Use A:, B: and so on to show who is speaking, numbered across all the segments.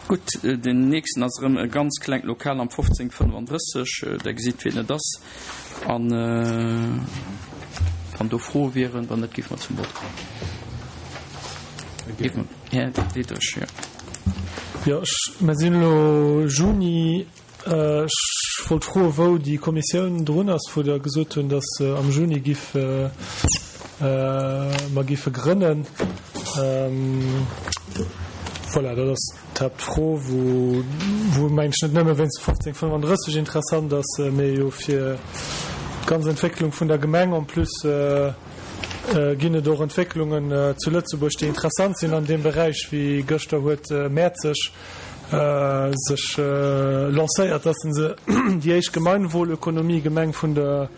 A: Gutt, den nächsten ass erëm e ganz klengt Lokal am 1535. Der gesitt, wien et ass. An wann do Froe wieren, wann net, géife mer zum Vott kommen. Géife mer, Här Diderich, jo.
B: Jo, ech, mer sinn elo Juni. Ech wollt froen, wou déi Kommissioun drun ass, wou Der gesot hunn, datt se am Juni giff, mer giffe grënnen. Voilà, dat ass d'Haaptfro, wou, wou mengen ech net nëmme wéinst 1535 interessant ass, mee jo fir d'ganz Entwécklung vun der Gemeng. En plus ginn et och Entwécklungen zu Lëtzebuerg, déi interessant sinn an deem Beräich, wéi gëschter huet Mäerzeg sech lancéiert, dass se déi éischt Gemeinwohlökonomie-Gemeng vun der,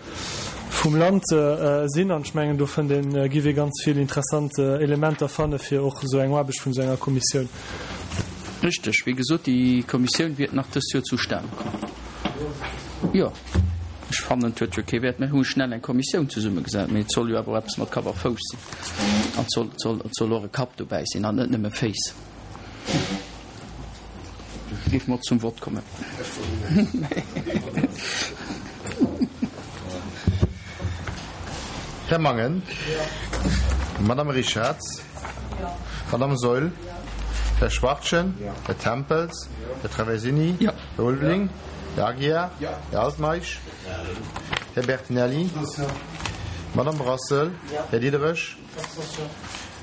B: vum Land sinn. An ech mengen, do fënnt een, giff ee ganz vill interessant Elementer fanne fir och esou eng Aarbecht vun esou enger Kommissioun.
A: Richteg, wéi gesot, déi Kommissioun wäert nach dëst Joer zustane kommen. Jo, ech fannen, et huet jo kee Wäert, mir hu schnell eng Kommissioun zesummegesat, mee et soll jo awer och eppes mat Kapp a Fouss sinn an et soll, et soll, et soll och e Kapp dobäi sinn an net nëmme Féiss. Géife mer zum Vott kommen.
C: Här Mangen. Madame Richarz. Madame Saeul. Här Schwachtgen. Här Tempels. Här Traversini. Här Ulveling. Här Aguiar. Här Altmeisch. Här Bertinelli. Madame Brassel. Här Diderich.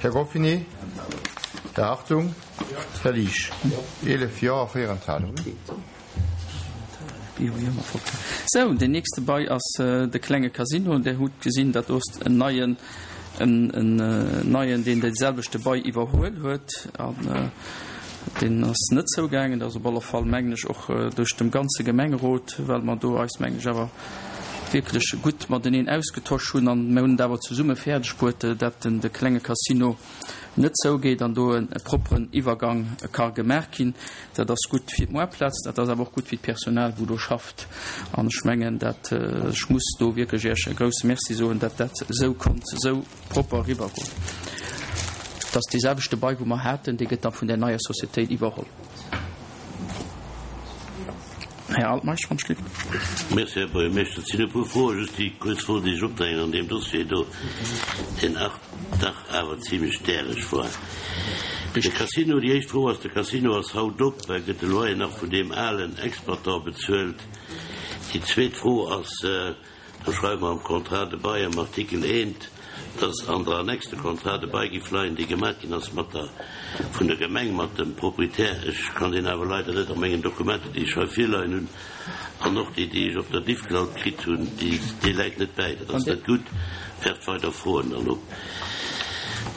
C: Här Goffinet, Här Hartung, Här Liesch. 11 Jo a 4 Enthalungen.
A: Sou, deen nächste Bail ass de klenge Casino. Där hutt gesinn, dat do ass en neien, en neien, deen dee selwechte Bail iwwerhuel huet. An deen ass net zougaangen. Dat ass op alle Fall, mengen ech, och duerch dem ganze Gemengerot, well mer do eis, mengen ech, awer wierklech gutt mateneen ausgetosch hunn an mir hunn et awer zesumme fäerdeg bruet, dat den de klenge Casino net zougeet an do e propperen Iwwergang ka gemaach ginn. Dat ass gutt fir d'Moarplaz, dat ass awer och gutt fir d'Personal wou do schafft an ech mengen dat ech muss do wierklech Iech e grouse Merci soen, dat dat esou konnt esou propper eriwwergoen. Et ass dee selwechte Bail wou mer haten, dee gëtt da vun där neier Societéit iwwerholl. Här Altmeisch, wann ech lift.
D: Merci, Här Buergermeeschter. Et sinn e puer Froen, just déi kuerz Fro, déi ech opdrängen an deem Dossier do, deen ach dach awer zimlech däreg war. De Casino, déi éischt Fro ass, de Casino ass haut op, gëtt de Loyer nach vun deem alen Exploitant bezuelt? Déi zweet Fro ass, Do schreiwe mer am Contrat de bail am Artikel eent, dass an der Annexe de Contrat de bail giff leien, dee gemaach ginn ass mat der, vun der Gemeng mat dem Proprietär. Ech kann deen awer leider net a mengen Dokumenter, déi ech hei virleien hunn, an och déi, déi ech op der Diffcloud kritt hunn, déi, dee läit net bäi. Dat ass net gutt, werft weider Froen dann op.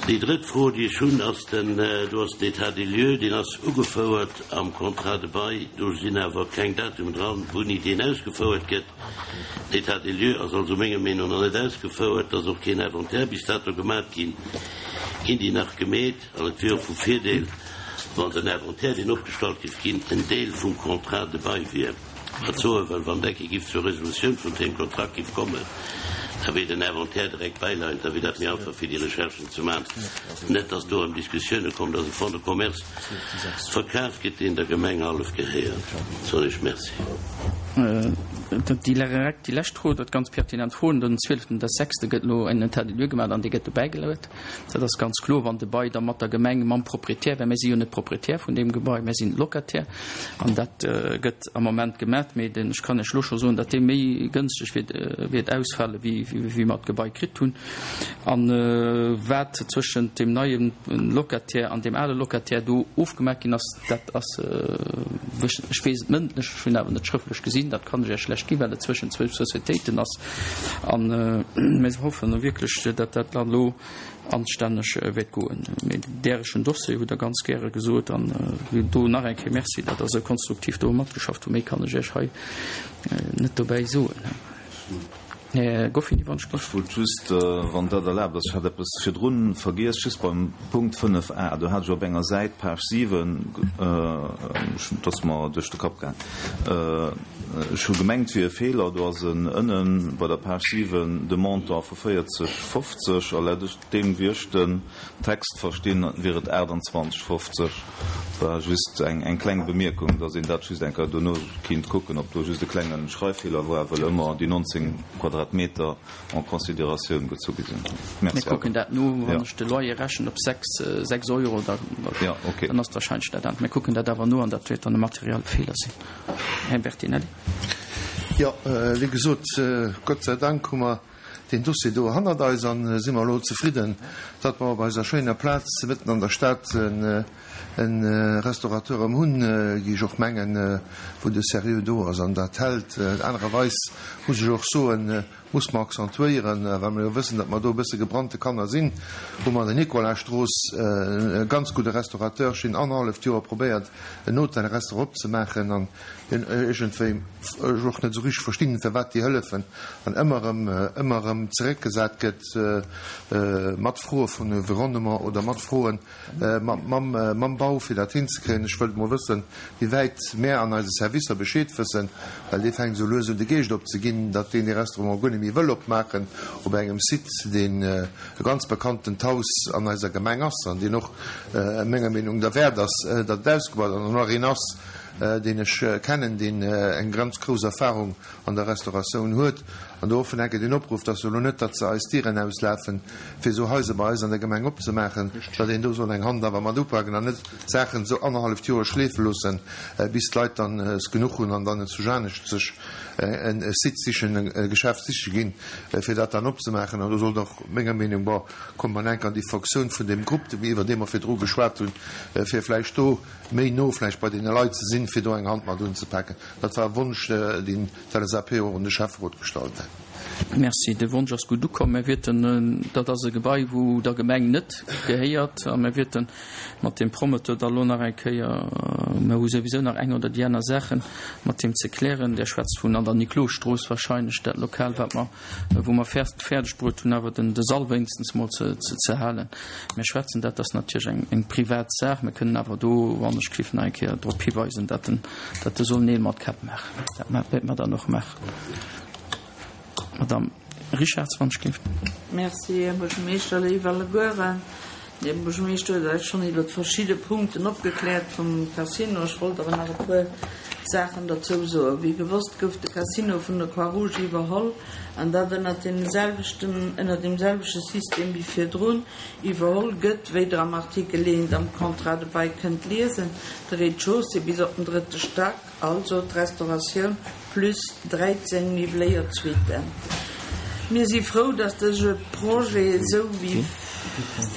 D: Déi drëtt Fro, déi ech hunn, ass den, do ass den État des lieux, deen ass ugefouert am Contrat de bail, do sinn awer keng Datumen dran, wouini deen ausgefouert gëtt. L'état des lieux ass also menger Meenung no net ausgefouert, et ass och keen Inventaire bis dato gemat ginn. Ginn déi nach gemeet? An et wier och vu Virdeel, wann den Inventaire, deen opgestallt giff ginn, en Deel vum Contrat de bail wier. Wat soe well, wann et eng Kéier giff zur Resolutioun vun deem Kontrakt giff kommen, da wier den Inventaire direkt bäileiend, da wier dat méi einfach fir déi Recherchen ze man. Net dass do erëm Diskussioune kommen, dass e Fonds de commerce verkaf gëtt, deen der Gemeng hallef gehéiert. Soen ech Merci.
A: Déi direkt déi lescht Fro, dat ganz pertinent Fro, Den zwieleften des sechste gëtt elo en État des lieux gemaach an dee gëtt dobäi geluet. Dat ass ganz kloer, wann de Bail da mat der Gemeng, mam Proprietär, well mir si jo net Proprietär vun deem Gebai, mir sinn Locataire, an dat gëtt am Moment gemaach. Mee den, ech kann Iech elo scho soen, datt dee méi gënschteg wäert, wäert ausfale wéi, wéi mer d'Gebai kritt hunn. An wat zwëschent deem neie Locataire an deem ale Locataire do ofgemaach ginn ass, dat ass, ech weess et mëndlech, ech hunn awer net schrëftlech gesinn, dat kann ech Iech schlecht ginn, well et zwëschent zwou Societéiten ass. An mir hoffen wierklech, datt dat dann elo anstänneg wäert goen. Mee därechen Dossier hutt Der ganz gäre gesot. An do nach eng Kéier Merci, datt Der esou konstruktiv do matgeschafft hutt. Méi kann ech Iech hei net dobäi soen. Här Goffin, wann ech
E: Ech wollt just, wann dat erlaabt ass, ech hat eppes virdrun vergiess, just beim Punkt 5 a, do hat ech op enger Säit, Page 7, dat ass mer duerch de Kapp gaang, ech hu gemengt, et wier e Feeler, do ass en ënnen bei der Page 7 de Montant vu 40, 50 a laut deem wéi ech den Text verstinn, wier et 28, 50. War just eng kleng Bemierkung, dass een dat just eng Kéier dono kinnt kucken, ob do just e klenge Schreiffeeler war, well ëmmer déi 19 Quadratmeter en considératioun gezu gi sinn.
A: Merci. Mir kucken dat no. Wann ech de Loyer rechnen op 6, 6 Euro, da dann ass et wahrscheinlech dat anert. Mir kucken dat awer no an dat wäert dann e materielle Feeler sinn. Här Bertinelli.
F: Jo, wéi gesot, Gott sei Dank hu mer deen Dossier do hannert eis an si mer elo zefridden, datt mer op eiser schéiner Plaz mëtten an der Stad e Restaurateur erëm hunn, géif ech och mengen, wou de Sérieux do ass an dat hält. Anererweis muss ech och soen, muss mer accentuéieren, well mer jo wëssen, datt mer do e bësse gebrannte Kanner sinn, hu mer an der Nicolasstrooss e ganz gudde Restaurateur schinn annerhalleft Joer probéiert, en Hotel-Restaurant opzemaachen an Hien iergendwéi ech och net esou richteg verstinn, firwat déi Hëllefen an ëmmer erëm, ëmmer erëm zeréckgesat gëtt mat Froe vun Environnement oder mat Froen mam, mam Bau, fir dat hinzekréien. Ech wëllt emol wëssen, wéi wäit mär an eise Servicer Bescheed wëssen, well dee fänkt esou lues un de Geescht opzeginn, datt deen dee Restaurant guer net méi wëll opmaachen op engem Site, deen e ganz bekanntent Haus an eiser Gemeng ass an deen och menger Meenung derwäert ass, datt et ausgebaut an och nach een ass, deen ech kennen, deen eng ganz grouss Erfahrung an der Restauratioun huet, an do och vun enke den Opruff, dass elo net, datt se eis d'Dieren auslafen, fir esou Haiser bei eis an der Gemeng opzemaachen, datt een do soll eng Hand awer mat upaken an net d'Saachen esou annerhalleft Joer schleefe loossen, bis d'Leit dann es genuch hunn an dann et zu Janescht sech e Site sichen, e Geschäft siche ginn, fir dat dann opzemaachen. An do sollt och menger Meenung, bon, kommt mer enk an déi Fonctioun vun deem Grupp, iwwer dee mer virdru geschwat hunn, fir vläicht do méi no vläicht bei deene Leit ze sinn, fir do eng Hand mat unzepaken. Dat war e Wonsch, deen d'LSAP och un de Schäfferot gestallt hätt.
A: Merci. De Wonsch ass gutt ukomm. Mir wierten, dat ass e Gebai, wou der Gemeng net gehéiert, a mir wierten mat deem Promoteur da lo nach eng Kéier, mir hu souwisou nach eng oder déi aner Saachen mat him ze klären. Der schwätzt vun an der Niklosstrooss wahrscheinlech, dat Lokal, wat mer wou mer fäerdeg bruet hunn, awer den de Sall wéinstens mol ze ze halen. Mir schwätzen dat ass natierlech eng eng privat Saach. Mir kënnen awer do, wann ech giff, nach eng Kéier drop hiweisen, datt en datt e soll Neel mat Käpp maachen. Dat wäerte mer dann och maachen. Madamm Richarz, wann ech giff.
G: Merci, Här Buergermeeschter, léif allegueren. Här Buergermeeschter huet eis schonn iwwert verschidde Punkten opgekläert vum Casino. Ech wollt awer nach e puer Saachen derzou soen. Wéi gewosst gouf de Casino vun der Croix-Rouge iwwerholl, an dat ënnert deem selwechten, ënnert deem selwechte System wéi virdrun iwwerholl gëtt, wéi Der am Artikel 1 am Contrat de bail kënnt liesen, de Rez-de-chaussée bis op den drëtte Stack. Also d'Restauratioun plus 13 miwwléiert Suiten. Mir si frou, dass dëse Projet esou wéi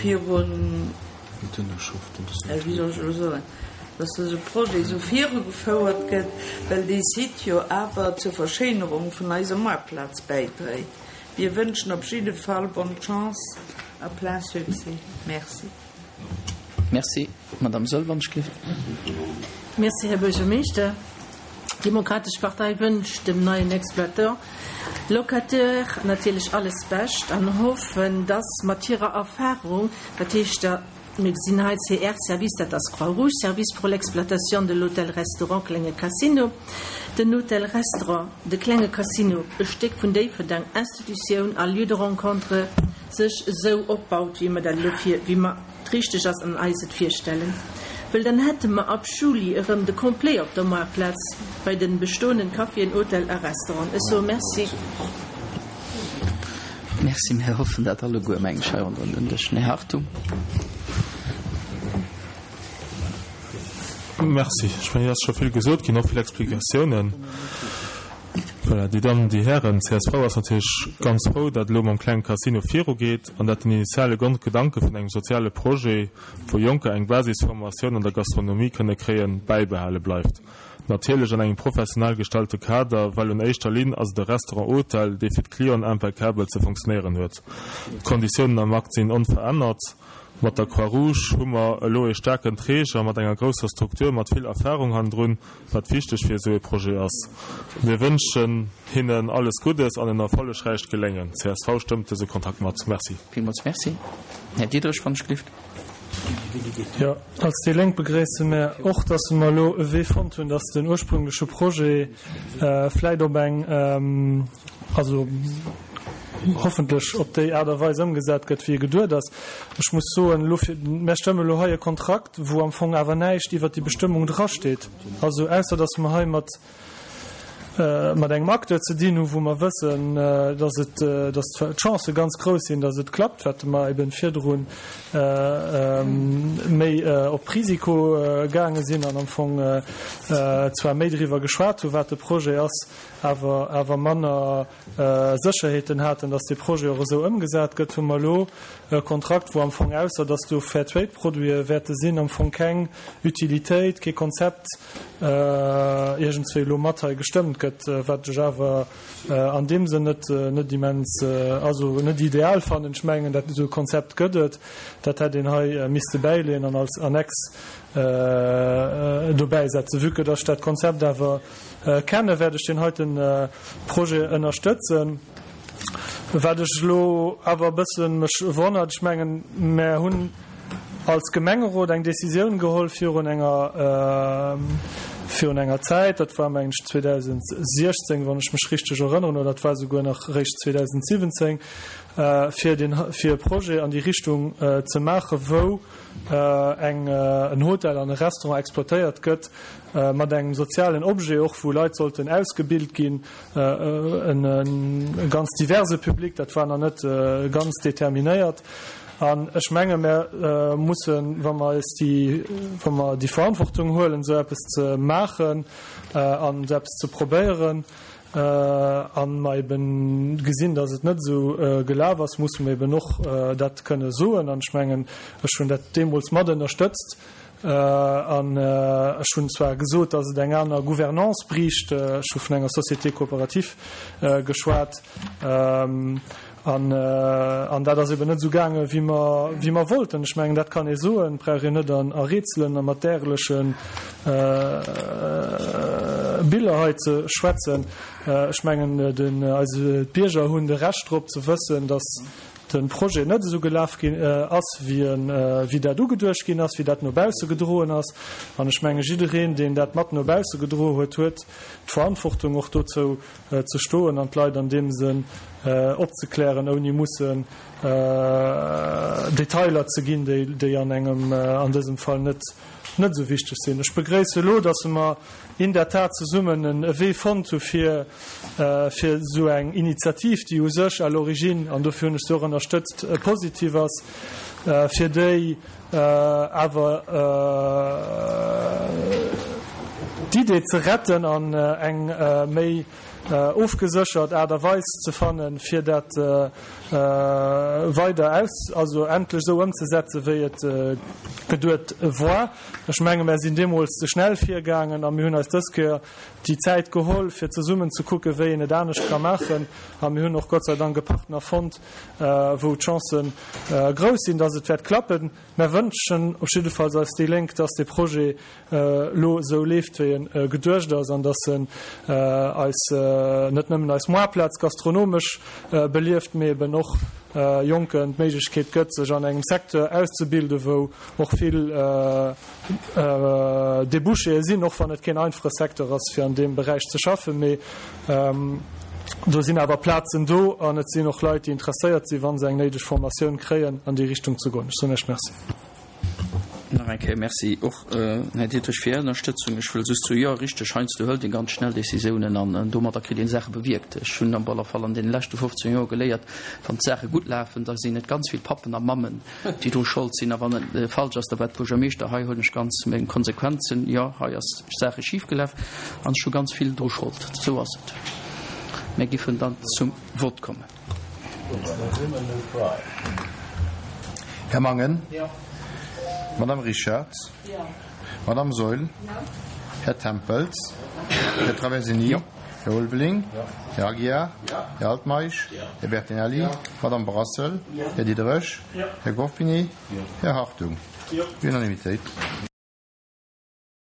G: virun, wéi soll ech elo soen, dass dëse Projet esou virugefouert gëtt, well dee Site jo awer zur Verschéinerung vun eiser Moartplaz bäidréit. Mir wënschen op jidde Fall bonne chance a plein succès. Merci.
A: Merci. Madame Saeul, wann ech géif.
H: Merci, Här Buergermeeschter. D'Demokratesch Partei wënscht dem neien Exploitant, Locataire natierlech alles Bescht an hoffen, dass mat hirer Erfahrung, dat heescht der, mir gesinn hei CR Service, dat ass Croix-Rouge Service pour l'exploitation de l'Hôtel-Restaurant Klenge Casino, den Hôtel-Restaurant, de Klenge Casino, e Stéck vun Déifferdeng, Institutioun a Lieu de rencontre, sech esou opbaut, wéi mer dat elo vir, wéi mer et richteg ass an eis et virstellen. Wëll dann hätte mer ab Juli erëm de Complet op der Moartplaz bei de bestoenden Caféen, Hotel a Restauranten. Ech soe Merci.
A: Merci. Mir hoffen dat alleguer, meng ech, hei ronderëm den Dësch. Här Hartung.
B: Merci. Ech mengen, et ass scho vill gesot ginn, och vill Explikatiounen. Voilà, déi Dammen, déi Hären, csv ass natierlech ganz frou, datt elo mam klenge Casino virugeet an datt den initiale Grondgedanke vun engem soziale Projet, wou Jonker eng Basisformatioun an der Gastronomie kënne kréien, bäibehale bleift. Natierlech an engem professionell gestallte Kader, well un éischter Linn ass et e Restaurant-Hotel, dee fir d'Clienten impeccabel ze funktionéieren huet. D'Konditiounen am Akt sinn onverännert. Mat der Croix-Rouge hu mer elo ee staarken Träger mat enger grousser Struktur mat vill Erfahrung hannendrun, wat wichteg fir esou ee Projet ass. Mir wënschen hinnen alles Guddes an en erfollegräicht Geléngen. Csv stëmmt dëse Kontrakt mat. Merci.
A: Villmools Merci. Här Diderich, wann ech gelift.
B: Jo, als déi Lénk begréisse mär och, dass mer elo e Wee fonnt hunn, dass den ursprüngleche Projet vläit op eng, also hoffentlech op déi Aart a Weis ëmgesat gëtt, wéi e geduet ass. Ech muss soen, elo fir, mär stëmme elo hei e Kontrakt, wou am Fong awer näischt iwwert déi Bestëmmung drasteet, also ausser dass mer hei mat, mat engem Acteur ze dinn hu wou mer wëssen, dass et, dass d'Chancë ganz grouss sinn, dass et klappt, wat mer eben virdru méi op Risiko gaange sinn an am Fong zwar méi driwwer geschwat hu wat de Projet ass, awer awer manner Sécherheeten haten, dass dee Projet och esou ëmgesat gëtt, hu mer elo e Kontrakt, wou am Fong, ausser dass do Fair-Trade-Produite wäerte sinn, am Fong keng Utilitéit, kee Konzept iergendswéi elo mat hei gestëmmt gëtt, wat ech awer an deem Sënn net, net immens, also net ideal fannen. Ech mengen, dat esou e Konzept gëtt et, dat hätt een hei misste bäileeën an als Annex dobäisetzen. Vue que dass ech dat Konzept awer Kenne wäert ech deen heiten Projet ënnerstëtzen. Wat ech elo awer e bësse mech wonnert, ech mengen, mär hunn als Gemengerot eng Décisioun geholl virun enger, virun enger Zäit, dat war mengen ech 2016, wann ech mech richteg erënneren, oder et war souguer nach eréischt 2017, fir den, fir e Projet an déi Richtung ze maachen, wou eng, en Hotel an e Restaurant exploitéiert gëtt, mat engem sozialen Objet och, wou Leit sollten ausgebilt ginn, e ganz diverse Public, dat war nach net ganz determinéiert. An ech menge mär mussen, wa mer eis déi, wa mer déi Verantwortung huelen, esou eppes ze maachen an esou eppes ze probéieren, a mer eben gesinn, datt et net esou gelaf ass, musse mer eben och dat kënne soen. An ech mengen, ech hunn dat deemools mat ënnerstëtzt. An ech hunn zwar gesot, datt et eng aner Gouvernance briicht, ech hu vun enger Société coopérative geschwat, an dat ass eben net esou gaangen, wéi mer, wéi mer wollten. Ech mengen, dat kann ee soen, et brauch een net a Rätselen a mat därleche Biller hei ze schwätzen. Ech mengen, den, eise, d'Bierger hunn de Recht drop ze wëssen, datt de Projet net esou gelaf ginn ass, wéi en, wéi dat ugeduecht ginn ass, wéi dat no bausse gedroen ass. An ech menge jiddereen, deen dat mat no bausse gedroe huet, huet d'Verantwortung och dozou ze stoen an d'Leit an deem Sënn opzeklären, ouni mussen Detailer ze ginn, déi, déi an engem, an dësem Fall net, net esou wichteg sinn. Ech begréisse elo, dass mer in der Tat zesummen e Wee fonnt hu fir, fir esou eng Initiativ, déi u sech à l'origine, an dofir hunn ech se och ënnerstëtzt, positiv ass, fir déi awer d'Idee ze retten an eng méi ofgeséchert Aart a Weis ze fannen, fir dat weider aus, also endlech esou ëmzesetzen, wéi et geduet war. Ech menge mär sinn deemools ze schnell virgaangen a mir hunn eis dës Kéier déi Zäit geholl, fir zesummen ze kucken, wéi een et anescht ka maachen. A mir hunn och Gott sei Dank e Partner fonnt, wou d'Chancë grouss sinn, dass et wäert klappen. Mär wënschen op jiddefalls eis déi Lénk, dass dee Projet elo esou leeft, wéi e geduecht ass an dass en eis, net nëmmen eis Moarplaz gastronomesch belieft, mee eben och Jonken d'Méiglechkeet gëtt, sech an engem Secteur auszebilden, wou och vill Débouchéë sinn, och wann et keen einfache Secteur ass, fir an deem Beräich ze schaffen. Mee do sinn awer Plazen do an et sinn och Leit, déi interesséiert sinn, wa se eng néideg Formatioun kréien, an déi Richtung ze goen. Ech soen Iech Merci.
A: Nach eng Kéier Merci och, Här Diderich, fir Är Ënnerstëtzung. Ech wëll just soen, jo, richteg, heiansdo hëlt ee ganz schnell Décisiounen an domadder kritt ee Saache bewierkt. Ech hunn op alle Fall an deene leschte 15 Joer geléiert, wann d'Saache gutt lafen, da sinn et ganz vill Pappen a Mammen, déi dru Schold sinn, a wann et falsch ass, da war d'Buergermeeschter. Hei huelen ech ganz meng Konsequenzen. Jo, hei ass Saache schifgelaf an ech hu ganz vill dru Schold. Esou ass et. Mir giffen dann zum Vott kommen.
C: Här Mangen? Madame Richard? Madame Saeul? Här Tempels? Här Traversini? Här Ulveling. Här Aguiar. Här Altmeisch. Här Bertinelli. Madame Brassel. Här Diderich. Här Goffinet. Här Hartung. Unanimitéit.